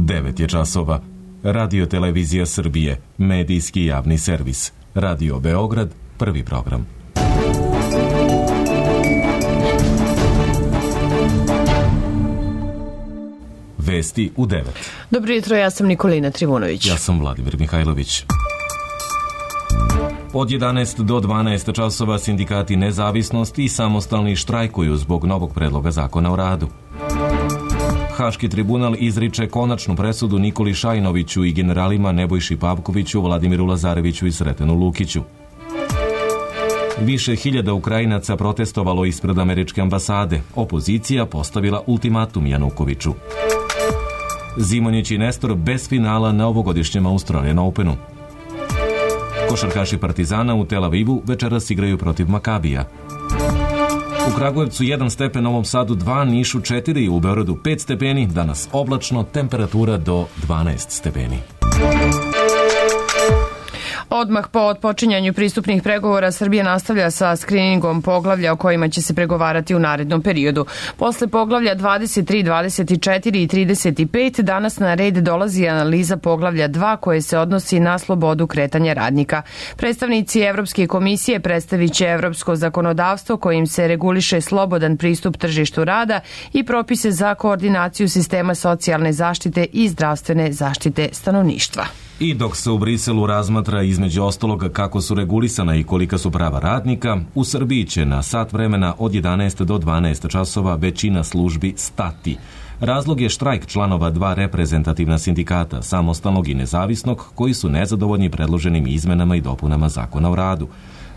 9 je časova. Radio Televizija Srbije, medijski javni servis. Radio Beograd, prvi program. Vesti u 9. Dobro jutro, ja sam Nikolina Trivunović. Ja sam Vladimir Mihajlović. Od 11 do 12 časova sindikati Nezavisnosti i Samostalni štrajkuju zbog novog predloga zakona o radu. Haški tribunal izriče konačnu presudu Nikoli Šajnoviću i generalima Nebojši Pavkoviću, Vladimiru Lazareviću i Sretenu Lukiću. Više hiljada Ukrajinaca protestovalo ispred američke ambasade. Opozicija postavila ultimatum Janukoviću. Zimonjić i Nestor bez finala na ovogodišnjem Australian Openu. Košarkaši Partizana u Tel Avivu večeras igraju protiv Makabija. U Kragujevcu 1 stepen, Novom Sadu 2, Nišu 4, u Beogradu 5 stepeni, danas oblačno, temperatura do 12 stepeni. Odmah po otpočinjanju pristupnih pregovora Srbija nastavlja sa skriningom poglavlja o kojima će se pregovarati u narednom periodu. Posle poglavlja 23, 24 i 35 danas na red dolazi analiza poglavlja 2 koje se odnosi na slobodu kretanja radnika. Predstavnici Evropske komisije predstavit će evropsko zakonodavstvo kojim se reguliše slobodan pristup tržištu rada i propise za koordinaciju sistema socijalne zaštite i zdravstvene zaštite stanovništva. I dok se u Briselu razmatra između ostaloga kako su regulisana i kolika su prava radnika, u Srbiji će na sat vremena od 11 do 12 časova većina službi stati. Razlog je štrajk članova 2 reprezentativna sindikata, Samostalnog i Nezavisnog, koji su nezadovoljni predloženim izmenama i dopunama zakona o radu.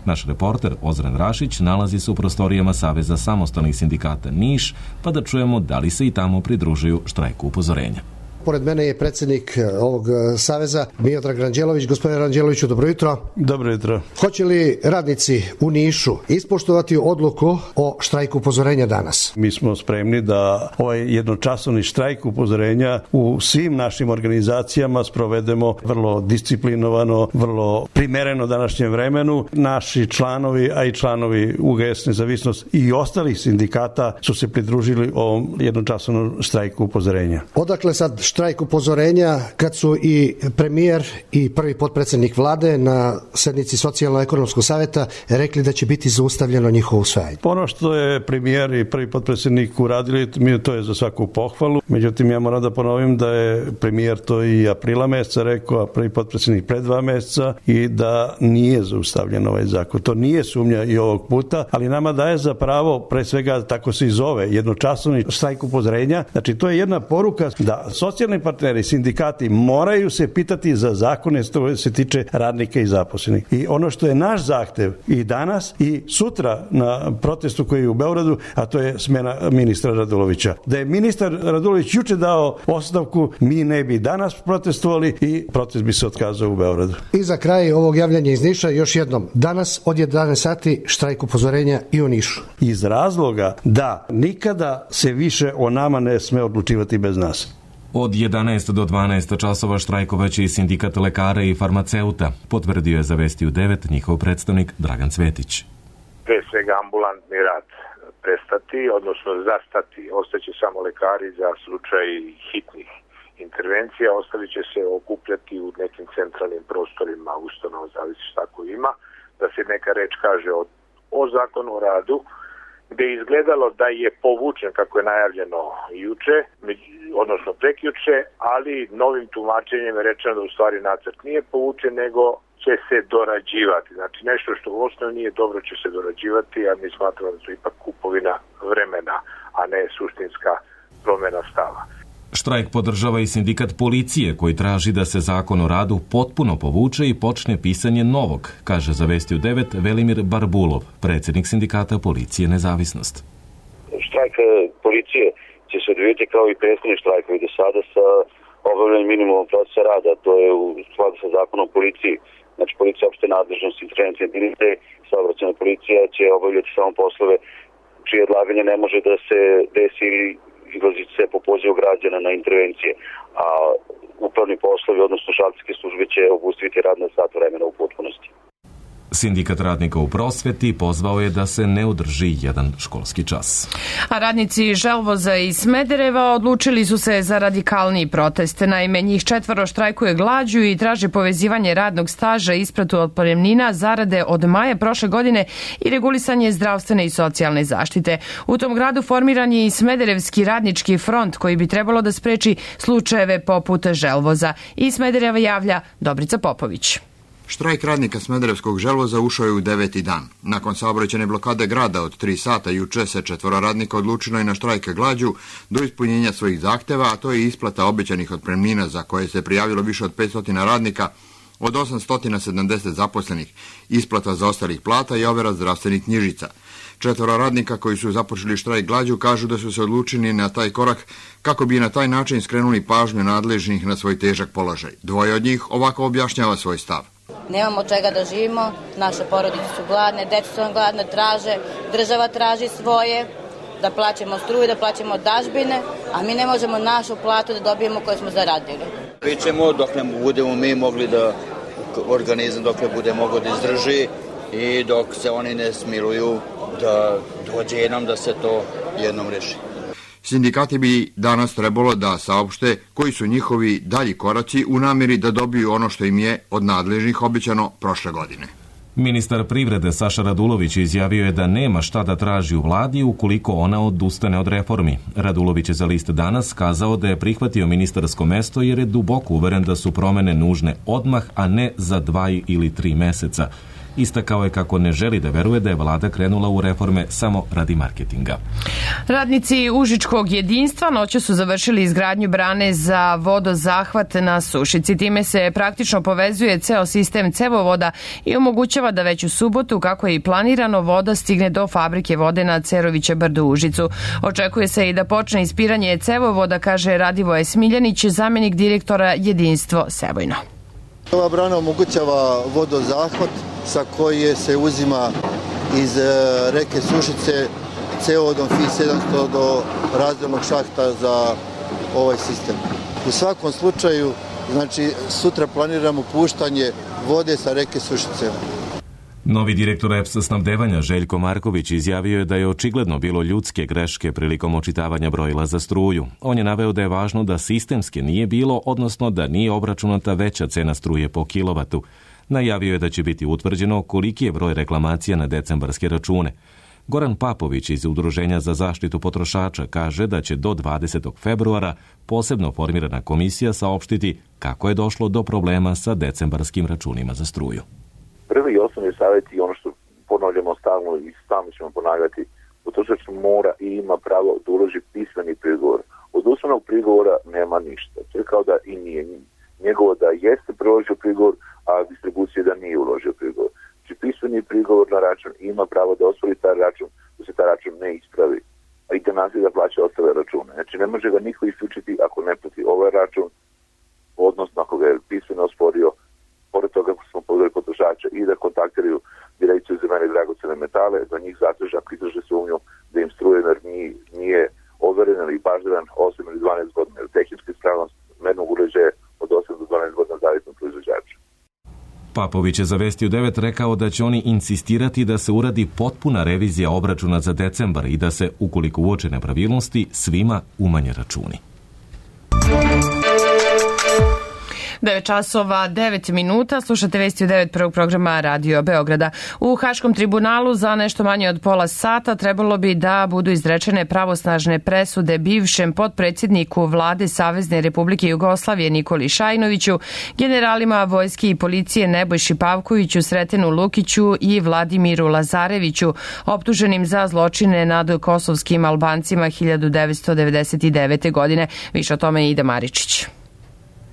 Naš reporter Ozren Rašić nalazi se u prostorijama Saveza samostalnih sindikata Niš, pa da čujemo da li se i tamo pridružuju štrajku upozorenja. Pored mene je predsjednik ovog saveza Miodrag Ranđelović. Gospodine Ranđeloviću, dobro jutro. Dobro jutro. Hoće li radnici u Nišu ispoštovati odluku o štrajku upozorenja danas? Mi smo spremni da ovaj jednočasovni štrajk upozorenja u svim našim organizacijama sprovedemo vrlo disciplinovano, vrlo primereno današnjem vremenu. Naši članovi, a i članovi UGS Nezavisnost i ostalih sindikata su se pridružili ovom jednočasovnom štrajku upozorenja. Odakle sad štrajk upozorenja kad su i premijer i prvi potpredsjednik vlade na sednici Socijalno-ekonomskog savjeta rekli da će biti zaustavljeno njihovo usvajanje? Ono što je premijer i prvi potpredsjednik uradili, to je za svaku pohvalu. Međutim, ja moram da ponovim da je premijer to i aprila meseca rekao, a prvi potpredsjednik pred 2 meseca, i da nije zaustavljen ovaj zakon. To nije sumnja i ovog puta, ali nama daje za pravo, pre svega tako se i zove, jednočasovni štrajk upozorenja. Znači, to je jedna poruka da socijalni partneri, sindikati moraju se pitati za zakone što se tiče radnika i zaposlenih. I ono što je naš zahtev i danas i sutra na protestu koji je u Beogradu, a to je smena ministra Radulovića. Da je ministar Radulović juče dao ostavku, mi ne bi danas protestovali i protest bi se otkazao u Beogradu. I za kraj ovog javljanja iz Niša još jednom. Danas od 11 sati štrajk upozorenja i u Nišu. Iz razloga da nikada se više o nama ne sme odlučivati bez nas. Od 11 do 12 časova štrajkovaće i sindikat lekara i farmaceuta, potvrdio je za Vesti u 9 njihov predstavnik Dragan Cvetić. Pre svega ambulantni rad prestati, odnosno zastati. Ostaće samo lekari za slučaj hitnih intervencija, ostali će se okupljati u nekim centralnim prostorima ustanova, zavisi šta ko ima, da se neka reč kaže o zakonu o radu, gde je izgledalo da je povučen kako je najavljeno juče, odnosno prekjuče, ali novim tumačenjem je rečeno da u stvari nacrt nije povučen, nego će se dorađivati. Znači nešto što u osnovi nije dobro će se dorađivati, a mi smatramo da to je ipak kupovina vremena, a ne suštinska promjena stava. Štrajk podržava i sindikat policije koji traži da se zakon o radu potpuno povuče i počne pisanje novog, kaže za Vesti u 9 Velimir Barbulov, predsjednik sindikata Policije Nezavisnost. Štrajk policije će se odvijeti kao i prethodni štrajkovi do sada sa obavljanjem minimumom procesa rada, to je u skladu sa zakonom o policiji. Znači, policija opšte nadležnost intervencije jedinice, saobraćajna policija će obavljati samo poslove čije odlaganje ne može da se desi ili izlaziti se po pozivu građana na intervencije, a upravni poslovi, odnosno žalbske službe će obustaviti rad na sat vremena u potpunosti. Sindikat radnika u prosveti pozvao je da se ne održi jedan školski čas. A radnici Želvoza i Smedereva odlučili su se za radikalniji protest. Naime, njih 4 štrajkuje glađu i traže povezivanje radnog staža, isplatu otpremnina, zarade od maja prošle godine i regulisanje zdravstvene i socijalne zaštite. U tom gradu formiran je i Smederevski radnički front koji bi trebalo da spreči slučajeve poput Želvoza. I Smedereva javlja Dobrica Popović. Štrajk radnika Smederevskog Želvoza ušao je u 9. dan. Nakon saobraćajne blokade grada od 3 sata juče se 4 radnika odlučilo i na štrajk glađu do ispunjenja svojih zahteva, a to je isplata obećanih otpremnina za koje se prijavilo više od 500 radnika od 870 zaposlenih, isplata zaostalih plata i overa zdravstvenih knjižica. 4 radnika koji su započeli štrajk glađu kažu da su se odlučili na taj korak kako bi na taj način skrenuli pažnju nadležnih na svoj težak položaj. 2 od njih ovako objašnjava svoj stav. Nemamo od čega da živimo, naše porodice su gladne, deca su nam gladne, traže, država traži svoje, da plaćamo struju, da plaćamo dažbine, a mi ne možemo našu platu da dobijemo koju smo zaradili. Pričamo dok ne budemo mi mogli da organizam, dok ne bude mogao da izdrži i dok se oni ne smiluju da dođe jednom da se to jednom reši. Sindikati bi danas trebalo da saopšte koji su njihovi dalji koraci u namjeri da dobiju ono što im je od nadležnih obećano prošle godine. Ministar privrede Saša Radulović izjavio je da nema šta da traži u vladi ukoliko ona odustane od reformi. Radulović je za list Danas kazao da je prihvatio ministarsko mesto jer je duboko uveren da su promene nužne odmah, a ne za 2 ili 3 meseca. Istakao je kako ne želi da veruje da je vlada krenula u reforme samo radi marketinga. Radnici Užičkog jedinstva noću su završili izgradnju brane za vodozahvat na Sušici. Time se praktično povezuje ceo sistem cevovoda i omogućava da već u subotu, kako je i planirano, voda stigne do fabrike vode na Ceroviće brdo u Užicu. Očekuje se i da počne ispiranje cevovoda, kaže Radivoje Smiljanić, zamjenik direktora Jedinstvo Sebojno. Ova brana omogućava vodozahvat sa koje se uzima iz reke Sušice cevovodom FI-700 do razdelnog šahta za ovaj sistem. U svakom slučaju, znači, sutra planiramo puštanje vode sa reke Sušice. Novi direktor EPS snabdevanja Željko Marković izjavio je da je očigledno bilo ljudske greške prilikom očitavanja brojila za struju. On je naveo da je važno da sistemske nije bilo, odnosno da nije obračunata veća cena struje po kilovatu. Najavio je da će biti utvrđeno koliki je broj reklamacija na decembarske račune. Goran Papović iz Udruženja za zaštitu potrošača kaže da će do 20. februara posebno formirana komisija saopštiti kako je došlo do problema sa decembarskim računima za struju. Prvi i osnovni savjet i ono što ponavljamo stalno i stalno ćemo ponavljati, potrošač mora i ima pravo da uloži pismeni prigovor. Od usmenog prigovora nema ništa. To je kao da i nije njegovo da jeste priložio prigovor, a distribucija da nije uložio prigovor. Znači pismeni prigovor na račun ima pravo da ospori taj račun, da se taj račun ne ispravi, a i da nastavi da plaća ostale račune. Znači ne može ga niko isključiti ako ne plati ovaj račun, odnosno ako ga je pismeno osporio. Pored toga smo pozvali potrošača i da kontaktiraju Direkciju za mene dragocene metale, da njih zatraže ako izraže sumnju da im strujenar nije overen ili baždaran 8 ili 12 godina, ili tehnička ispravnost mernog uređaja od 8 do 12 godina zavisno od proizvođača. Papović je za Vesti u 9 rekao da će oni insistirati da se uradi potpuna revizija obračuna za decembar i da se, ukoliko uoče nepravilnosti, svima umanje računi. 9 časova, 9 minuta, slušate Vesti u 9 prvog programa Radio Beograda. U Haškom tribunalu za nešto manje od pola sata trebalo bi da budu izrečene pravosnažne presude bivšem potpredsjedniku vlade Savezne Republike Jugoslavije Nikoli Šajnoviću, generalima vojske i policije Nebojši Pavkoviću, Sretenu Lukiću i Vladimiru Lazareviću, optuženim za zločine nad kosovskim Albancima 1999. godine. Više o tome Ida Maričić.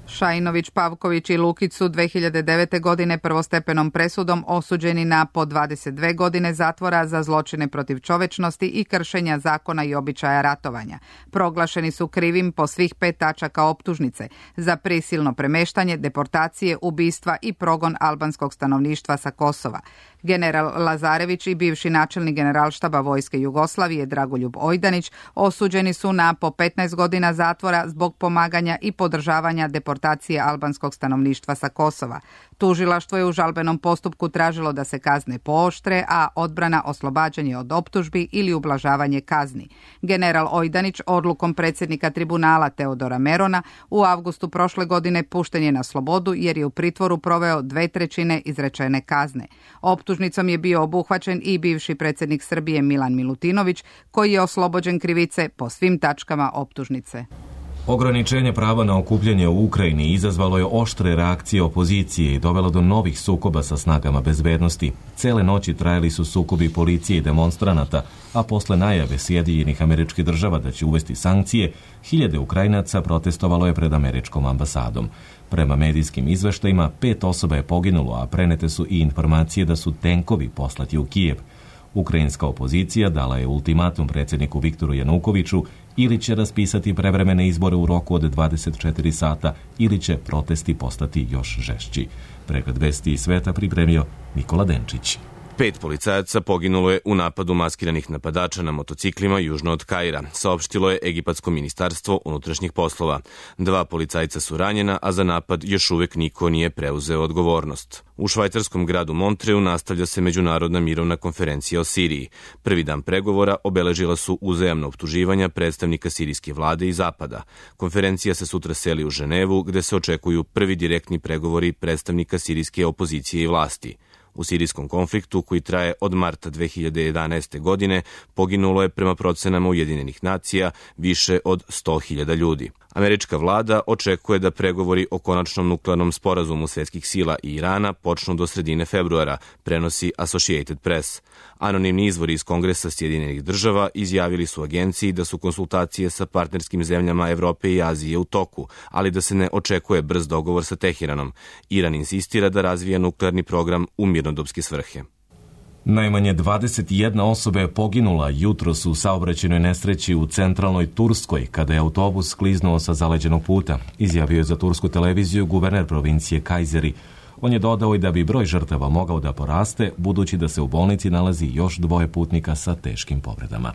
Šajnović, Pavković i Lukić su 2009. godine prvostepenom presudom osuđeni na po 22 godine zatvora za zločine protiv čovečnosti i kršenja zakona i običaja ratovanja. Proglašeni su krivim po svih 5 tačaka optužnice za prisilno premeštanje, deportacije, ubistva i progon albanskog stanovništva sa Kosova. General Lazarević i bivši načelnik Generalštaba Vojske Jugoslavije Dragoljub Ojdanić osuđeni su na po 15 godina zatvora zbog pomaganja i podržavanja deportacije deportacije albanskog stanovništva sa Kosova. Tužilaštvo je u žalbenom postupku tražilo da se kazne pooštre, a odbrana oslobađanje od optužbi ili ublažavanje kazni. General Ojdanić odlukom predsjednika tribunala Teodora Merona u avgustu prošle godine pušten je na slobodu jer je u pritvoru proveo 2/3 izrečene kazne. Optužnicom je bio obuhvaćen i bivši predsjednik Srbije Milan Milutinović, koji je oslobođen krivice po svim tačkama optužnice. Ograničenje prava na okupljanje u Ukrajini izazvalo je oštre reakcije opozicije i dovelo do novih sukoba sa snagama bezbednosti. Cele noći trajali su sukobi policije i demonstranata, a posle najave Sjedinjenih Američkih Država da će uvesti sankcije, hiljade Ukrajinaca protestovalo je pred američkom ambasadom. Prema medijskim izveštajima, 5 osoba je poginulo, a prenete su i informacije da su tenkovi poslati u Kijev. Ukrajinska opozicija dala je ultimatum predsjedniku Viktoru Janukoviću ili će raspisati prevremene izbore u roku od 24 sata ili će protesti postati još žešći. Pregled vesti iz sveta pripremio Nikola Denčić. 5 policajaca poginulo je u napadu maskiranih napadača na motociklima južno od Kaira, saopštilo je Egipatsko ministarstvo unutrašnjih poslova. 2 policajca su ranjena, a za napad još uvek niko nije preuzeo odgovornost. U švajcarskom gradu Montreu nastavlja se međunarodna mirovna konferencija o Siriji. Prvi dan pregovora obeležila su uzajamna optuživanja predstavnika sirijske vlade i Zapada. Konferencija se sutra seli u Ženevu, gde se očekuju prvi direktni pregovori predstavnika sirijske opozicije i vlasti. U sirijskom konfliktu, koji traje od marta 2011. godine, poginulo je prema procenama Ujedinjenih nacija više od 100.000 ljudi. Američka vlada očekuje da pregovori o konačnom nuklearnom sporazumu svetskih sila i Irana počnu do sredine februara, prenosi Associated Press. Anonimni izvori iz Kongresa Sjedinjenih Država izjavili su agenciji da su konsultacije sa partnerskim zemljama Evrope i Azije u toku, ali da se ne očekuje brz dogovor sa Teheranom. Iran insistira da razvija nuklearni program u mirnodopske svrhe. Najmanje 21 osoba je poginula jutros u saobraćajnoj nesreći u centralnoj Turskoj kada je autobus skliznuo sa zaleđenog puta, izjavio je za tursku televiziju guverner provincije Kajzeri. On je dodao i da bi broj žrtava mogao da poraste, budući da se u bolnici nalazi još 2 putnika sa teškim povredama.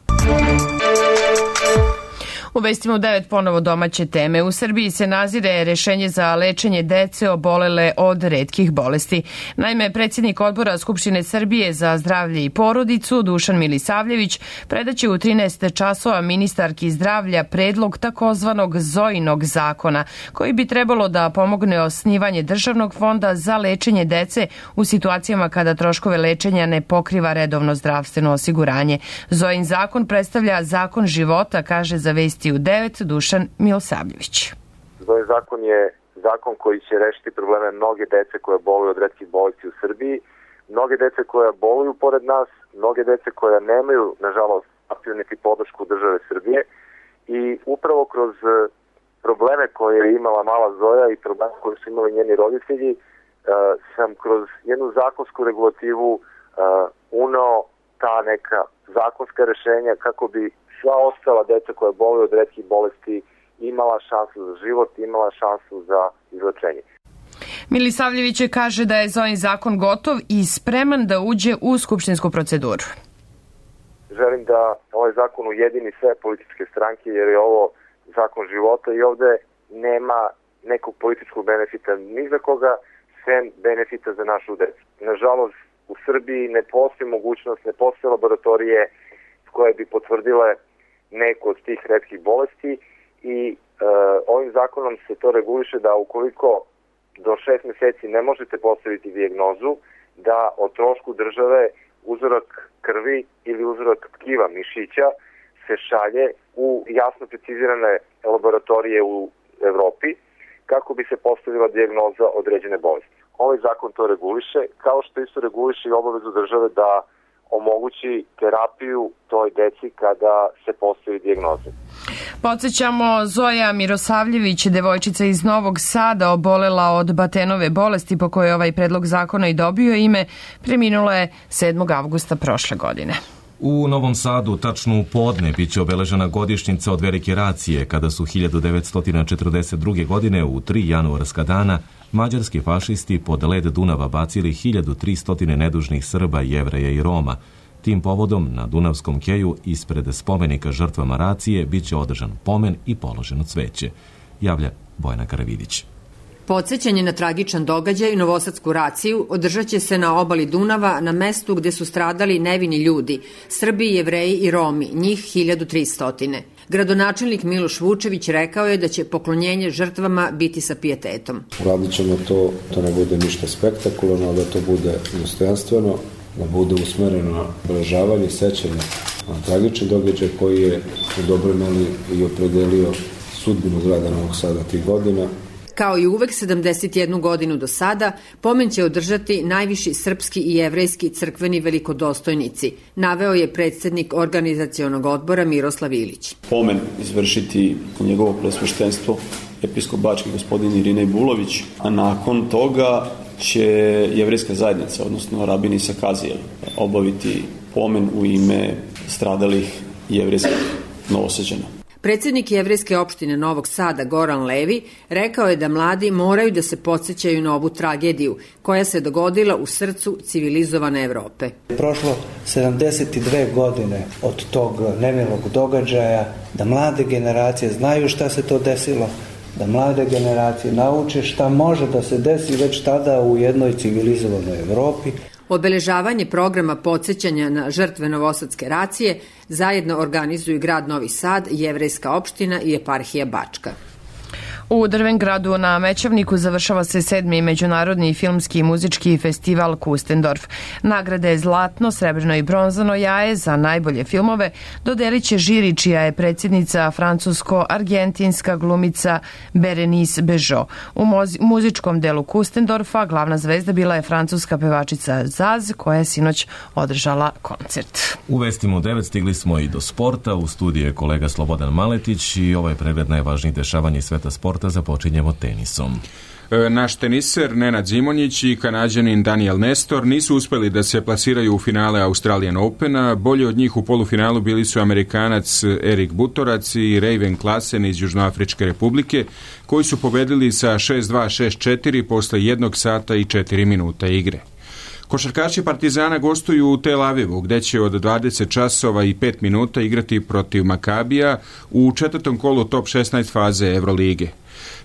U vestima u 9 ponovo domaće teme. U Srbiji se nazire rešenje za lečenje dece obolele od retkih bolesti. Naime, predsjednik odbora Skupštine Srbije za zdravlje i porodicu, Dušan Milisavljević, predaće u 13 časova ministarki zdravlja predlog takozvanog Zojinog zakona, koji bi trebalo da pomogne osnivanje državnog fonda za lečenje dece u situacijama kada troškove lečenja ne pokriva redovno zdravstveno osiguranje. Zojin zakon predstavlja zakon života, kaže za vesti u 9 Dušan Milosavljević. Ovaj zakon je zakon koji će rešiti probleme mnoge dece koje boluju od retkih bolesti u Srbiji, mnoge dece koja boluju pored nas, mnoge dece koja nemaju, nažalost, niti podršku države Srbije i upravo kroz probleme koje je imala mala Zoja i probleme koje su imali njeni roditelji sam kroz jednu zakonsku regulativu uneo ta neka zakonska rešenja kako bi sva ostala deca koja boluju od retkih bolesti imala šansu za život, imala šansu za izlečenje. Milisavljević kaže da je Zojin zakon gotov i spreman da uđe u skupštinsku proceduru. Želim da ovaj zakon ujedini sve političke stranke jer je ovo zakon života i ovde nema nekog političkog benefita ni za koga, sem benefita za našu decu. Nažalost, u Srbiji ne postoji mogućnost, ne postoje laboratorije koje bi potvrdile neku od tih retkih bolesti i ovim zakonom se to reguliše da ukoliko do 6 meseci ne možete postaviti dijagnozu, da o trošku države uzorak krvi ili uzorak tkiva mišića se šalje u jasno precizirane laboratorije u Evropi kako bi se postavila dijagnoza određene bolesti. Ovaj zakon to reguliše, kao što isto reguliše i obavezu države da omogući terapiju toj deci kada se postavi dijagnoza. Podsećamo, Zoja Mirosavljević, devojčica iz Novog Sada, obolela od Batenove bolesti po kojoj ovaj predlog zakona i dobio ime, preminula je 7. avgusta prošle godine. U Novom Sadu, tačno u podne, biće obeležena godišnjica od velike racije, kada su 1942. godine u 3 januarska dana mađarski fašisti pod led Dunava bacili 1300 nedužnih Srba, Jevreja i Roma. Tim povodom na Dunavskom keju ispred spomenika žrtvama racije biće održan pomen i položeno cveće, javlja Bojana Karavidić. Podsećanje na tragičan događaj, novosadsku raciju, održat će se na obali Dunava, na mestu gde su stradali nevini ljudi, Srbi, Jevreji i Romi, njih 1300. Gradonačelnik Miloš Vučević rekao je da će poklonjenje žrtvama biti sa pijetetom. Radit ćemo to ne bude ništa spektakularno, da to bude dostojanstveno, da bude usmereno na obeležavanje, sećanje na tragični događaj koji je u dobroj meri i opredelio sudbinu grada Novog Sada 3 godina. Kao i uvek 71 godinu do sada, pomen će održati najviši srpski i jevrejski crkveni velikodostojnici, naveo je predsednik organizacionog odbora Miroslav Ilić. Pomen izvršiti njegovo presveštenstvo, episkop bački gospodin Irinej Bulović, a nakon toga će jevrejska zajednica, odnosno rabin Isa Kazijel, obaviti pomen u ime stradalih jevrejskih Novosađana. Predsednik jevrejske opštine Novog Sada Goran Levi rekao je da mladi moraju da se podsjećaju na ovu tragediju koja se dogodila u srcu civilizovane Evrope. Prošlo 72 godine od tog nemilog događaja, da mlade generacije znaju šta se to desilo, da mlade generacije nauče šta može da se desi već tada u jednoj civilizovanoj Evropi. Obeležavanje programa podsjećanja na žrtve novosadske racije zajedno organizuju grad Novi Sad, jevrejska opština i eparhija Bačka. U Drvengradu na Mećavniku završava se 7. međunarodni filmski i muzički festival Kustendorf. Nagrade zlatno, srebrno i bronzano jaje za najbolje filmove dodelit će žiri čija je predsjednica francusko-argentinska glumica Berenice Bežo. U muzičkom delu Kustendorfa glavna zvezda bila je francuska pevačica Zaz koja je sinoć održala koncert. U vestima u 9 stigli smo i do sporta. U studiju je kolega Slobodan Maletić i ovaj pregled najvažnijih dešavanja iz sveta sporta započinjemo tenisom. Naš teniser Nenad Zimonjić i Kanađanin Daniel Nestor nisu uspeli da se plasiraju u finale Australian Opena. Bolji od njih u polufinalu bili su Amerikanac Erik Butorac i Raven Klassen iz Južnoafričke republike, koji su pobedili sa 6-2, 6-4 posle 1 sata i 4 minuta igre. Košarkaši Partizana gostuju u Tel Avivu, gde će od 20 časova i 5 minuta igrati protiv Makabija u 4. kolu top 16 faze Evrolige.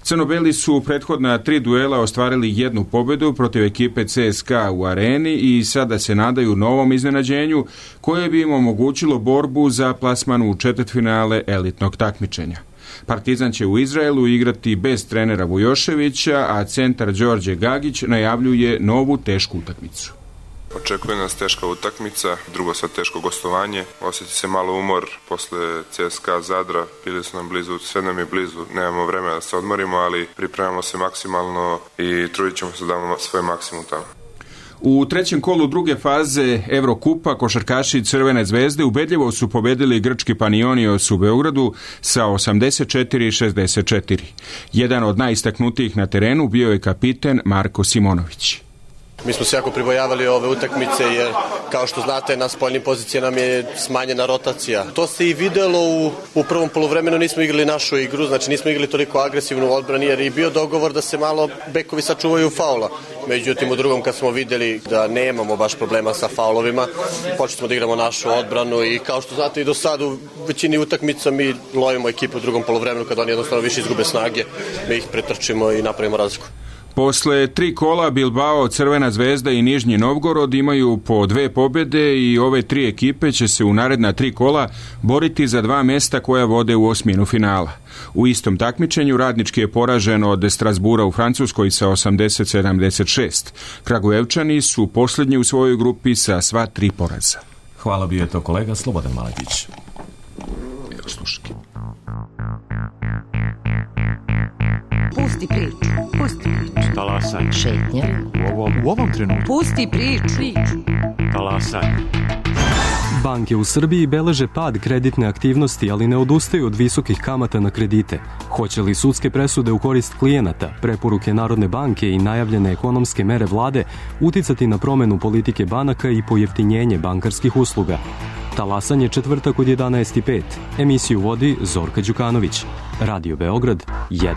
Crnobeli su u prethodna 3 duela ostvarili 1 pobedu protiv ekipe CSKA u areni i sada se nadaju novom iznenađenju koje bi im omogućilo borbu za plasman u četvrtfinale elitnog takmičenja. Partizan će u Izraelu igrati bez trenera Vujoševića, a centar Đorđe Gagić najavljuje novu tešku utakmicu. Očekuje nas teška utakmica, drugo sad teško gostovanje, osjeti se malo umor posle CSKA Zadra, bili su nam blizu, sve nam je blizu, nemamo vremena da se odmorimo, ali pripremamo se maksimalno i trudit ćemo se da damo svoj maksimum tamo. U 3. kolu druge faze Evrokupa košarkaši Crvene zvezde ubedljivo su pobedili grčki Panionios u Beogradu sa 84-64. Jedan od najistaknutijih na terenu bio je kapiten Marko Simonović. Mi smo se jako pribojavali ove utakmice jer, kao što znate, na spoljnim pozicijama nam je smanjena rotacija. To se i videlo u prvom poluvremenu, nismo igrali našu igru, znači nismo igrali toliko agresivnu odbranu jer je bio dogovor da se malo bekovi sačuvaju faula. Međutim, u drugom kad smo videli da nemamo baš problema sa faulovima, počeli smo da igramo našu odbranu i kao što znate i do sada u većini utakmica mi lovimo ekipu u drugom poluvremenu kad oni jednostavno više izgube snage, mi ih pretrčimo i napravimo razliku. Posle 3 kola Bilbao, Crvena zvezda i Nižnji Novgorod imaju po 2 pobjede i ove 3 ekipe će se u naredna 3 kola boriti za 2 mesta koja vode u osminu finala. U istom takmičenju Radnički je poražen od Strasbura u Francuskoj sa 80-76. Kragujevčani su posljednji u svojoj grupi sa sva 3 poraza. Hvala, bio je to kolega Slobodan Maletić. Pusti priču. Talasaj. Šetnja. U ovom trenutku. Pusti priču. Talasaj. Banke u Srbiji beleže pad kreditne aktivnosti, ali ne odustaju od visokih kamata na kredite. Hoće li sudske presude u korist klijenata, preporuke Narodne banke i najavljene ekonomske mere vlade uticati na promenu politike banaka i pojeftinjenje bankarskih usluga? Talasanje četvrtak od 11:05. Emisiju vodi Zorka Đukanović. Radio Beograd 1.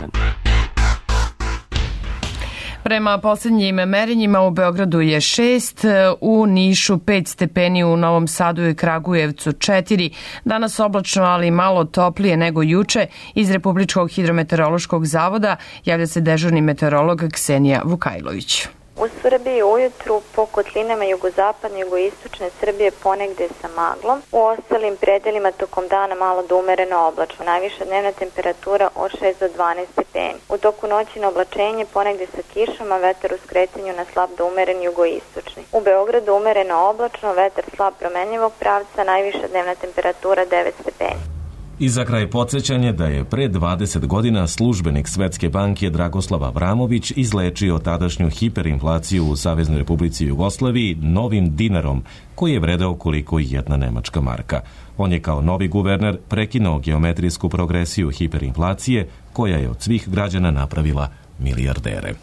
Prema posljednjim merenjima u Beogradu je 6, u Nišu 5 stepeni, u Novom Sadu i Kragujevcu 4. Danas oblačno, ali malo toplije nego juče. Iz Republičkog hidrometeorološkog zavoda javlja se dežurni meteorolog Ksenija Vukajlović. U Srbiji ujutru po kotlinama jugozapadne i jugoistočne Srbije ponegde sa maglom. U ostalim predelima tokom dana malo do umereno oblačno. Najviša dnevna temperatura od 6 do 12 stepeni. U toku noći na oblačenje ponegde sa kišom, a vetar u skretanju na slab do umeren jugoistočni. U Beogradu umereno oblačno, vetar slab promenljivog pravca, najviša dnevna temperatura 9 stepeni. I za kraj podsjećanje da je pre 20 godina službenik Svetske banke Dragoslav Avramović izlečio tadašnju hiperinflaciju u Saveznoj Republici Jugoslaviji novim dinarom, koji je vredeo koliko i jedna nemačka marka. On je kao novi guverner prekinuo geometrijsku progresiju hiperinflacije, koja je od svih građana napravila milijardere.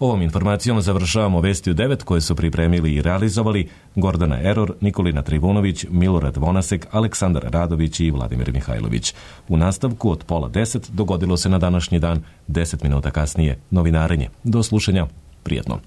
Ovom informacijom završavamo Vesti u 9 koje su pripremili i realizovali Gordana Eror, Nikolina Trivunović, Milorad Vonasek, Aleksandar Radović i Vladimir Mihajlović. U nastavku od 9:30 dogodilo se na današnji dan, 10 minuta kasnije, novinarenje. Do slušanja, prijetno.